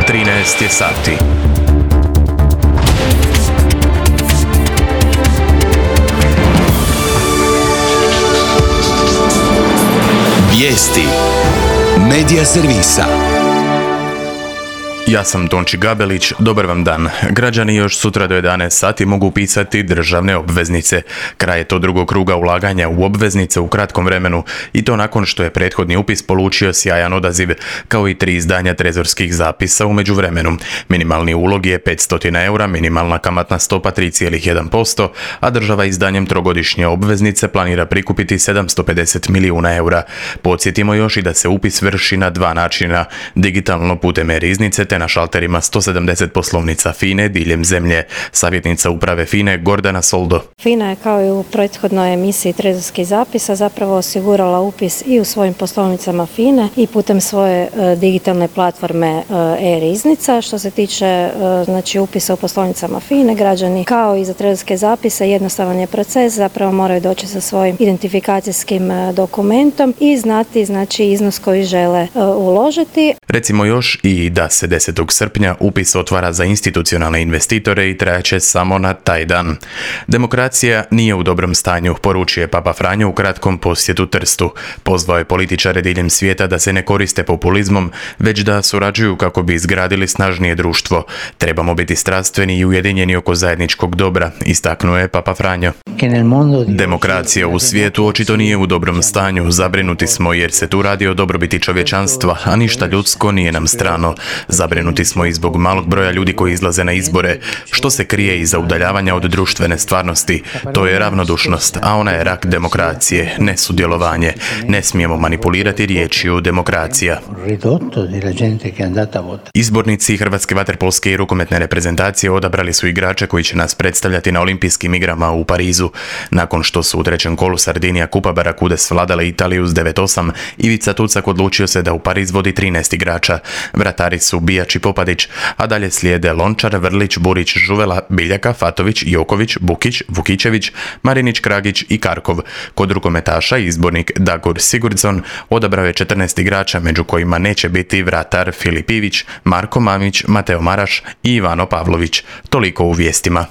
13 je sati. Vijesti Medija servisa. Ja sam Tonči Gabelić, dobar vam dan. Građani još sutra do 11 sati mogu upisati državne obveznice. Kraj je to drugog kruga ulaganja u obveznice u kratkom vremenu i to nakon što je prethodni upis polučio sjajan odaziv, kao i 3 izdanja trezorskih zapisa u međuvremenu. Minimalni ulog je 500 eura, minimalna kamatna stopa 3,1%, a država izdanjem trogodišnje obveznice planira prikupiti 750 milijuna eura. Podsjetimo još i da se upis vrši na 2 načina, digitalno putem e-riznice te na šalterima 170 poslovnica FINA-e diljem zemlje. Savjetnica uprave FINA-e Gordana Soldo. FINA je kao i u prethodnoj emisiji trezorskih zapisa zapravo osigurala upis i u svojim poslovnicama FINA-e i putem svoje digitalne platforme e-riznica. Što se tiče upisa u poslovnicama FINA-e, građani kao i za trezorske zapise jednostavan je proces, zapravo moraju doći sa svojim identifikacijskim dokumentom i znati iznos koji žele uložiti. Recimo još i da se 10. srpnja upis otvara za institucionalne investitore i trajaće samo na taj dan. Demokracija nije u dobrom stanju, poručuje Papa Franjo u kratkom posjetu Trstu. Pozvao je političare diljem svijeta da se ne koriste populizmom, već da surađuju kako bi izgradili snažnije društvo. Trebamo biti strastveni i ujedinjeni oko zajedničkog dobra, istaknuo je Papa Franjo. Demokracija u svijetu očito nije u dobrom stanju, zabrinuti smo jer se tu radi o dobrobiti čovječanstva, a ništa ljudsko nije nam strano. Zabrinuti smo i zbog malog broja ljudi koji izlaze na izbore. Što se krije iza udaljavanja od društvene stvarnosti? To je ravnodušnost, a ona je rak demokracije, nesudjelovanje. Ne smijemo manipulirati riječju demokracija. Izbornici Hrvatske vaterpolske i rukometne reprezentacije odabrali su igrače koji će nas predstavljati na olimpijskim igrama u Parizu. Nakon što su u trećem kolu Sardinija Kupa Barakude svladale Italiju s 9:8, Ivica Tucak odlučio se da u Pariz vodi 13 igrača. Vratari su Bijač i Popadić, a dalje slijede Lončar, Vrlić, Burić, Žuvela, Biljaka, Fatović, Joković, Bukić, Vukićević, Marinić, Kragić i Karkov. Kod rukometaša izbornik Dagur Sigurdsson odabrao je 14 igrača, među kojima neće biti vratar Filip Ivić, Marko Mamić, Mateo Maraš i Ivano Pavlović. Toliko u vijestima.